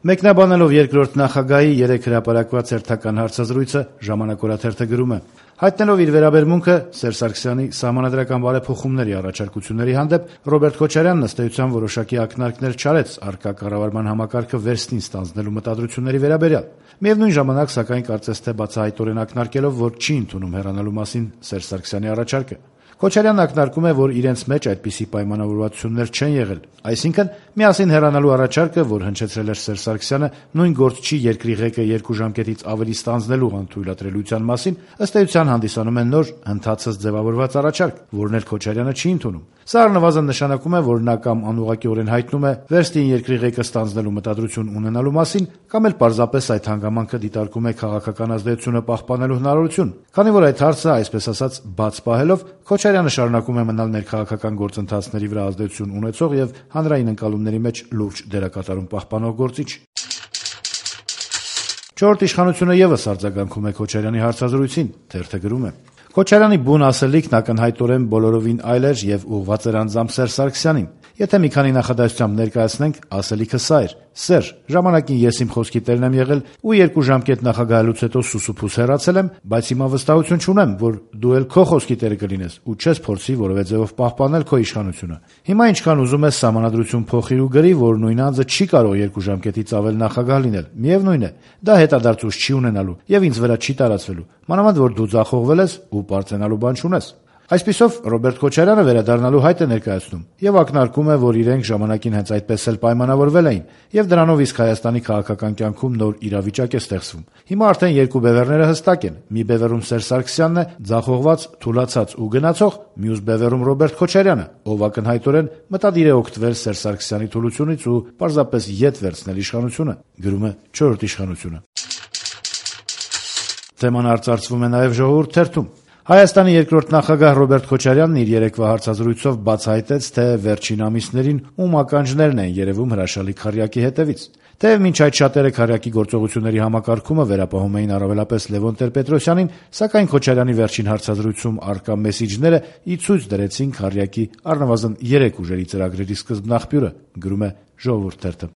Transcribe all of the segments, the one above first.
Մեկնաբանելով երկրորդ նախագահի 3 հրապարակված հերթական հարցազրույցը «Ժամանակ» օրաթերթը գրում է. հայտնելով իր վերաբերմունքը Սերժ Սարգսյանի սահմանադրական բարեփոխումների առաջարկությունների հանդեպ Ռոբերտ Քոչարյանն ըստ էության որոշակի ակնարկներ չարեց առկա կառավարման համակարգը վերստին ստանձնելու մտադրությունների վերաբերյալ։ Միևնույն ժամանակ, սակայն, կարծես թե բացահայտորեն ակնարկելով, որ չի ընդունում հեռանալու մասին Սերժ Սարգսյանի առաջարկը։ Քոչարյանն ակնարկում է, որ իրենց մեջ այդպիսի պայմանավորվածություններ չեն եղել, այսինքն միասին հեռանալու առաջարկը, որ հնչեցրել էր Սերժ Սարգսյանը, նույն գործ չի երկրի ղեկը 2 ժամկետից ավելի ստանձնելու անթույլատրելիության մասին, ըստ էության հանդիսանում է նոր ընդհանցած ձևավորված առաջարկ, որն էլ Քոչարյանը չի ընդունում։ Սա առնվազն նշանակում է, որ նա կամ անուղղակիորեն հայտնում է վերստին երկրի ղեկը ստանձնելու մտադրություն ունենալու մասին, կամ էլ պարզապես այդ հանգամանքը դիտարկում է քաղաքական ազդեցությունը պահպանելու հնարավորություն։ Քանի որ այդ հարցը, այսպես ասած, բաց պահելով, Քոչարյանը շարունակում է մնալ ներքաղաքական գործընթացների վրա ազդեցություն ունեցող եւ հանրային ընկալումների մեջ լուրջ դերակատարում պահպանող գործիչ։ Չորրորդ իշխանությունը եւս արձագանքում է Քոչարյանի հարցազրույցին, թերթը գրում է. Քոչարյանի բուն ասելիքն ակնհայտորեն բոլորովին այլ էր եւ ուղղված էր անձամբ Սերժ Սարգսյանին։ Եթե մի քանի նախադասությամբ ներկայացնենք, ասելիքը սա էր. Սերժ, ժամանակին ես իմ խոսքի տերն եմ եղել ու 2 ժամկետ նախագահելուց հետո սուսուփուս հեռացել եմ, բայց հիմա վստահություն չունեմ, որ դու էլ քո խոսքի տերը կլինես ու չես փորձի որևէ ձևով պահպանել քո իշխանությունը։ Հիմա ինչքան ուզում ես սահմանադրություն փոխիր ու գրի, որ նույն անձը չի կարող 2 ժամկետից ավել նախագահ լինել։ Միևնույն է, դա հետադարձույց չի ունենալու եւ ինձ վրա չի տարածվելու։ Մանավանդ որ դու ձախողվել ես ու պարծենալու բան չունես։ Այսպիսով Ռոբերտ Քոչարյանը վերադառնալու հայտ է ներկայացնում եւ ակնարկում է, որ իրենք ժամանակին հենց այդպես էլ պայմանավորվել էին եւ դրանով իսկ Հայաստանի քաղաքական կյանքում նոր իրավիճակ է ստեղծվում։ Հիմա արդեն 2 բևեռները հստակ են։ Մի բևեռում Սերժ Սարգսյանն է, ձախողված, թուլացած ու գնացող, մյուս բևեռում Ռոբերտ Քոչարյանը, ով ակնհայտորեն մտադիր է օգտվել Սերժ Սարգսյանի թուլությունից ու պարզապես ետ վերցնել իշխանությունը, գրում է 4-րդ իշխանությունը։ Թեման արծարծվում է նաեւ Ժողովուրդ թերթում։ Հայաստանի երկրորդ նախագահ Ռոբերտ Քոչարյանն իր երեկվա հարցազրույցով բացահայտեց, թե վերջին ամիսներին ում ականջներն են երևում հրաշալի քառյակի հետևից։ Թեև մինչ այդ շատերը քառյակի գործողությունների համակարգումը վերապահում էին առավելապես Լևոն Տեր-Պետրոսյանին, սակայն Քոչարյանի վերջին հարցազրույցում առկա մեսիջները ի ցույց դրեցին քառյակի առնվազն 3 ուժերի ծրագրերի սկզբնաղբյուրը, գրում է Ժողովուրդ թերթը։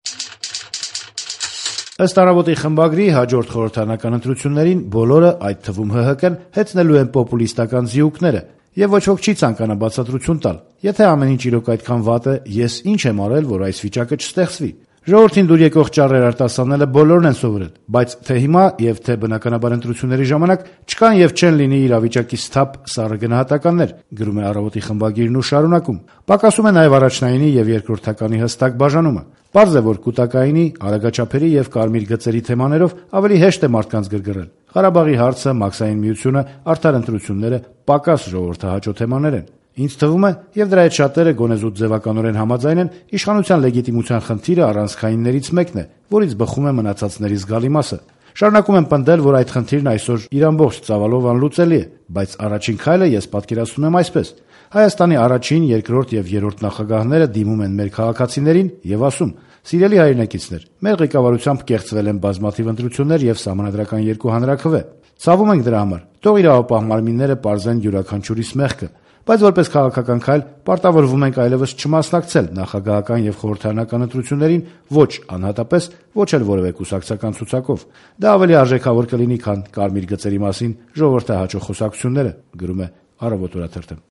Ըստ Առավոտի խմբագրի, հաջորդ խորհրդարանական ընտրություններին բոլորը, այդ թվում ՀՀԿ-ն, հեծնելու են պոպուլիստական զիուկները, եւ ոչ ոք չի ցանկանա բացատրություն տալ։ Եթե ամեն ինչ իրոք այդքան վատ է, ես ինչ եմ արել, որ այս վիճակը չստեղծվի։ Ժողովրդին դուր եկող ճառեր արտասանելը բոլորն են սովորել, բայց թե հիմա եւ թե բնականաբար ընտրությունների ժամանակ չկան եւ չեն լինի իրավիճակի սթափ սառը գնահատականներ, գրում է Առավոտի խմբագիրն ու շարունակում։ Պակասում է նաեւ առաջնայինի եւ երկրորդականի հստակ բաժանումը։ Պարզ է, որ կուտակայինի, արագաչափերի եւ կարմիր գծերի թեմաներով ավելի հեշտ է մարդկանց գրգռել։ Ղարաբաղի հարցը, Մաքսային միությունը, արդար ընտրությունները պակաս ժողովրդահաճո թեմաներ են։ Ինձ թվում է, եւ դրա հետ շատերը գոնե զուտ ձևականորեն համաձայն են, իշխանության լեգիտիմության խնդիրը առանցքայիններից մեկն է, որից բխում է մնացածների զգալի մասը։ Շարունակում եմ պնդել, որ այդ խնդիրն այսօր իր ամբողջ ծավալով անլուծելի է, բայց առաջին քայլը ես պատկերացնում եմ այսպես. Հայաստանի առաջին, երկրորդ եւ երրորդ նախագահները դիմում են մեր քաղաքացիներին եւ ասում. «Սիրելի հայրենակիցներ, մեր ղեկավարությամբ կեղծվել են բազմաթիվ ընտրություններ եւ սահմանադրական 2 հանրաքվե։ Ցավում ենք դրա համար։ Թող իրավապահ մարմինները պարզեն յուրաքանչյուրիս մեղքը, բայց որպես քաղաքական քայլ պարտավորվում ենք այլևս չմասնակցել նախագահական եւ խորհրդարանական ընտրություններին ոչ անհատապես, ոչ էլ որևէ կուսակցական ցուցակով։ Դա ավելի արժեքավոր կլինի, քան կարմիր գծերի մասին ժողովրդահաճո խոսակցությունները», գրում է Առավոտ օրաթերթը։